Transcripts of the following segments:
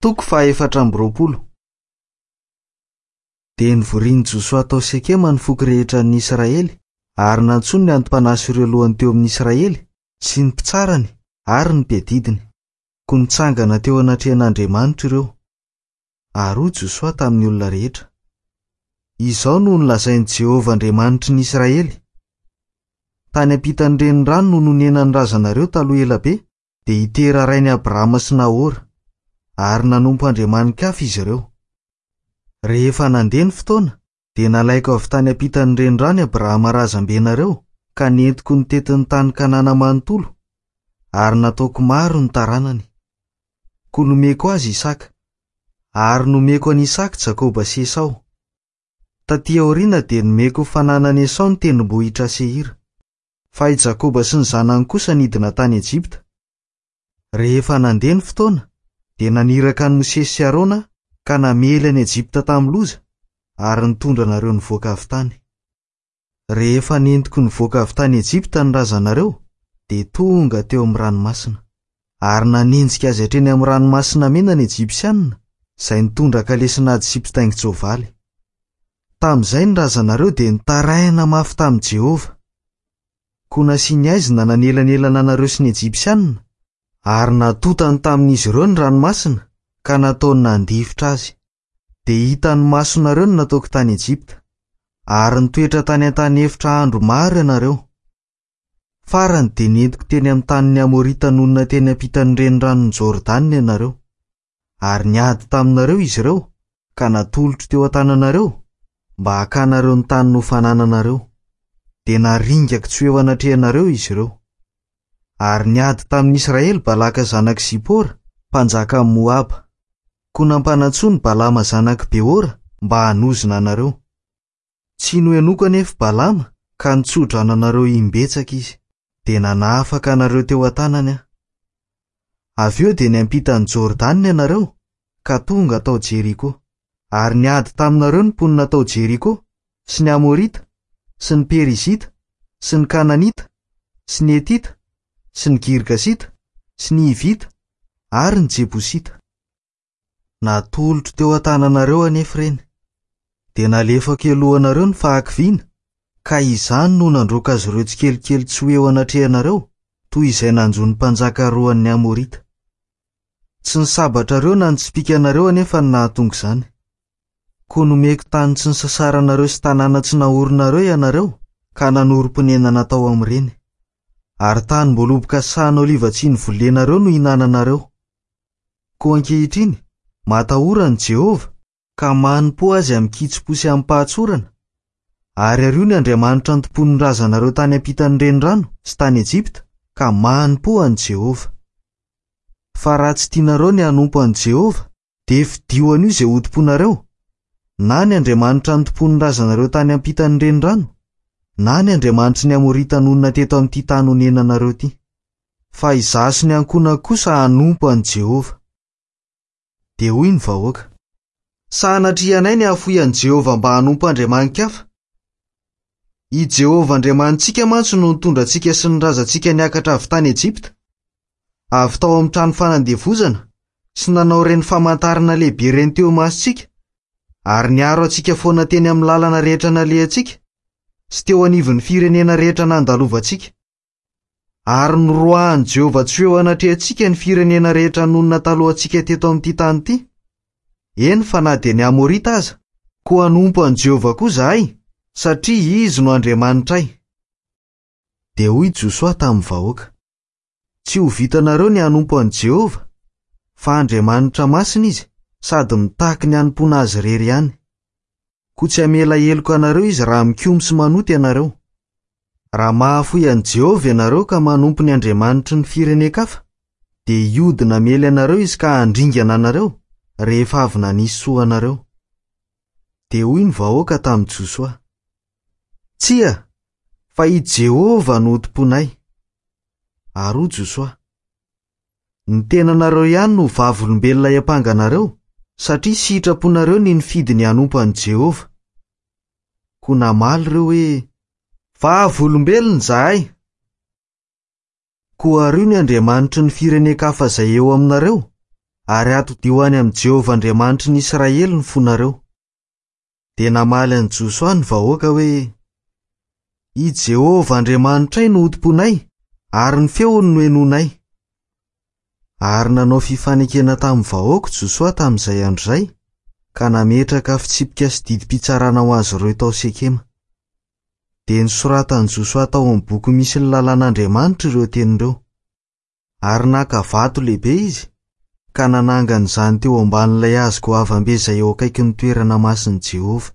Toko faha-24. Dia nivorian'i Josoa tao Sekema ny foko rehetra an'ny Israely, ary nantsoiny ny anti-panahy sy ireo lohany teo amin'ny Israely, sy ny mpitsarany ary ny mpiadidiny. Koa nitsangana teo anatrehan'Andriamanitra ireo. Ary hoy Josoa tamin'ny olona rehetra, Izao no nolazain'i Jehovah Andriamanitry ny Israely, Tany ampitan'ny renirano no nonenan'ny razanareo taloha ela be, dia i Tera rain'i Abrahama sy Nahora, ary nanompo andriamani-kafa izy ireo. Rehefa nandeha ny fotoana, dia nalaiko avy tany ampitan'ny renirano i Abrahama razambenareo ka nentiko nitety ny tany Kanana manontolo, ary nataoko maro ny taranany. Koa nomeko azy Isaka. Ary nomeko an'i Isaka Jakoba sy Esao. Tatỳ aoriana dia nomeko ho fananan'i Esao ny tendrombohitra Seira. Fa i Jakoba sy ny zanany kosa nidina tany Egypta. Rehefa nandeha ny fotoana, dia naniraka an'i Mosesy sy Arona ka namely an'i Egypta tamin'ny loza, ary nitondra anareo nivoaka avy tany. Rehefa nentiko nivoaka avy tany Egypta ny razanareo, dia tonga teo amin'ny ranomasina. Ary nanenjika azy hatreny amin'ny Ranomasina Mena ny Ejipsianina, izay nitondra kalesin'ady sy mpitaingin-tsoavaly. Tamin'izay ny razanareo dia nitaraina mafy tamin'i Jehovah. Koa nasiany haizina nanelanelana anareo sy ny Ejipsianina, ary natontany tamin'izy ireo ny ranomasina, ka nataony nandifotra azy. Dia hitan'ny masonareo ny nataoko tany Ejipta. Ary nitoetra tany an-tany efitra andro maro ianareo. Farany dia nentiko teny amin'ny tanin'ny Amorita nonina teny ampitan'ny reniranon'i Jordana ianareo. Ary niady taminareo izy ireo, ka natolotro teo an-tananareo, mba hakanareo ny tany nofanananareo. Dia naringako tsy ho eo anatrehanareo izy ireo. Ary niady tamin'ny Israely Balaka zanak'i Zipora, mpanjakan'i Moaba. Koa nampanantsoiny Balama zanak'i Beora mba hanozona anareo. Tsy nohenoiko anefa Balama ka nitso-drano anareo imbetsaka izy. Dia nanafaka anareo teo an-tanany aho. Avy eo dia niampita an'i Jordana ianareo ka tonga tao Jeriko. Ary niady taminareo ny mponina tao Jeriko, sy ny Amorita, sy ny Perizita, sy ny Kananita, sy ny Hetita, sy ny Girgasita, sy ny Hivita, ary ny Jebosita. Natolotro teo an-tananareo anefa ireny. Dia nalefako elohanareo ny fahakiviana, ka izany no nandroaka azy ireo tsikelikely tsy ho eo anatrehanareo, toy izay nanjo ny mpanjaka roan'ny Amorita. Tsy ny sabatrareo na ny tsipìkanareo anefa no nahatonga izany. Koa nomeko tany tsy nisasaranareo sy tanàna tsy naorinareo ianareo, ka nanorim-ponenana tao amin'ireny. Ary tanim-boaloboka sy sahan'oliva tsy novolenareo no hinananareo. Koa ankehitriny, matahora an'i Jehovah, ka manompoa azy amin-kitsim-po sy amim-pahatsorana, ary ario ny andriamanitra antompoin'ny razanareo tany ampitan'ny renirano sy tany Ejipta, ka manompoa an'i Jehovah. Fa raha tsy tianareo ny hanompo an'i Jehovah, dia fidio an'io izay hotompoinareo, na ny andriamanitra antompoin'ny razanareo tany ampitan'ny renirano, na ny andriamanitry ny Amorita nonina teto amin'ity tany onenanareo ity. Fa izaho sy ny ankohonako kosa hanompo an'i Jehovah. Dia hoy ny vahoaka, Sanatria anay ny hahafoy an'i Jehovah mba hanompo andriamani-kafa. I Jehovah Andriamanitsika mantsy no nitondra antsika sy ny razantsika niakatra avy tany Ejipta, avy tao amin'ny trano fanandevozana, sy nanao ireny famantarana lehibe ireny teo imasontsika, ary niaro antsika foana teny amin'ny lalana rehetra nalehantsika, sy teo anivon'ny firenena rehetra nandalovantsika. Ary noroahan'i Jehovah tsy ho eo anatrehantsika ny firenena rehetra nonina talohantsika teto amin'ity tany ity, eny fa na dia ny Amorita aza. Koa hanompo an'i Jehovah koa izahay, satria izy no Andriamanitray. Dia hoy Josoa tamin'ny vahoaka, Tsy ho vitanareo ny hanompo an'i Jehovah, fa Andriamanitra masina izy sady mitaky ny hanompoana azy irery ihany. Koa tsy hamela heloka anareo izy raha mikomy sy manota ianareo. Raha mahafoy an'i Jehovah ianareo ka manompo ny andriamanitry ny firenen-kafa, dia hiodina hamely anareo izy ka handringana anareo, rehefa avy nanisy soa anareo. Dia hoy ny vahoaka tamin'i Josoa, Tsia, fa i Jehovah no hotompoinay. Ary hoy Josoa, Ny tenanareo ihany no vavolombelona hiampanga anareo, satria sitraponareo ny nifidy ny hanompo an'i Jehovah. Koa namaly ireo hoe, Vavolombelona izahay! Koa ario ny andriamanitry ny firenen-kafa izay eo aminareo, ary atodiho any amin'i Jehovah Andriamanitry ny Israely ny fonareo. Dia namaly an'i Josoa ny vahoaka hoe, I Jehovah Andriamanitray no hotompoinay, ary ny feony no henoinay. Ary nanao fifanekena tamin'ny vahoaka Josoa tamin'izay andro izay, ka nametraka fitsipika sy didim-pitsarana ho azy ireo tao Sekema. Dia nosoratan'i Josoa tao amin'ny boky misy ny lalàn'Andriamanitra ireo teny ireo. Ary naka vato lehibe izy, ka nanangana izany teo ambanin'ilay hazo goavam-be izay eo akaikin'ny toerana masin'i Jehovah.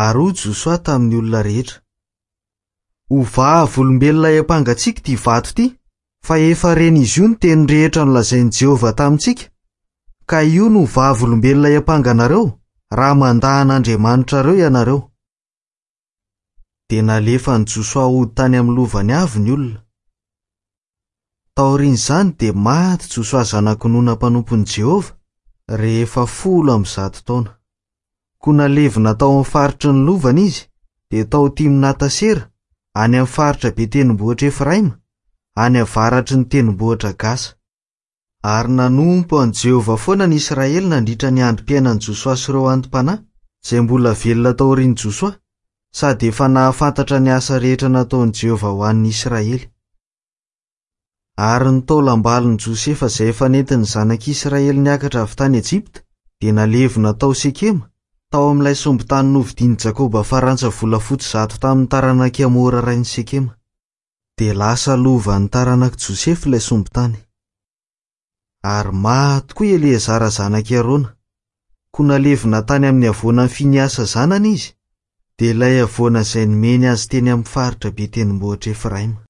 Ary hoy Josoa tamin'ny olona rehetra, Ho vavolombelona hiampangantsika ity vato ity, fa efa ren'izy io ny teny rehetra nolazain'i Jehovah tamintsika, ka io no ho vavolombelona hiampanga anareo, raha mandà an'Andriamanitrareo ianareo. Dia nalefan'i Josoa hody tany amin'ny lovany avy ny olona. Taorian'izany dia maty Josoa zanak'i Nona mpanompon'i Jehovah, rehefa 110 taona. Koa nalevina tao amin'ny faritry ny lovany izy, dia tao Timnata-sera, any amin'ny faritra be tendrombohitra Efraima, any avaratry ny tendrombohitra Gasa. Ary nanompo an'i Jehovah foana ny Israely nandritra ny androm-piainan'i Josoa sy ireo anti-panahy, izay mbola velona taorian'i Josoa, sady efa nahafantatra ny asa rehetra nataon'i Jehovah ho an'ny Israely. Ary ny taolam-balon'i Josefa izay efa nentin'ny zanak'Israely niakatra avy tany Ejipta dia nalevina tao Sekema, tao amin'ilay sombin-tany novidin'i Jakoba farantsa volafotsy 100 tamin'ny taranak'i Hamora rain'i Sekema. Dia lasa lovan'ny taranak'i Josefa ilay sombin-tany. Ary maty koa i Eleazara zanak'i Arona. Koa nalevina tany amin'ny havoanan'i Finehasa zanany izy, dia ilay havoana izay nomeny azy teny amin'ny faritra be tendrombohitr'i Efraima.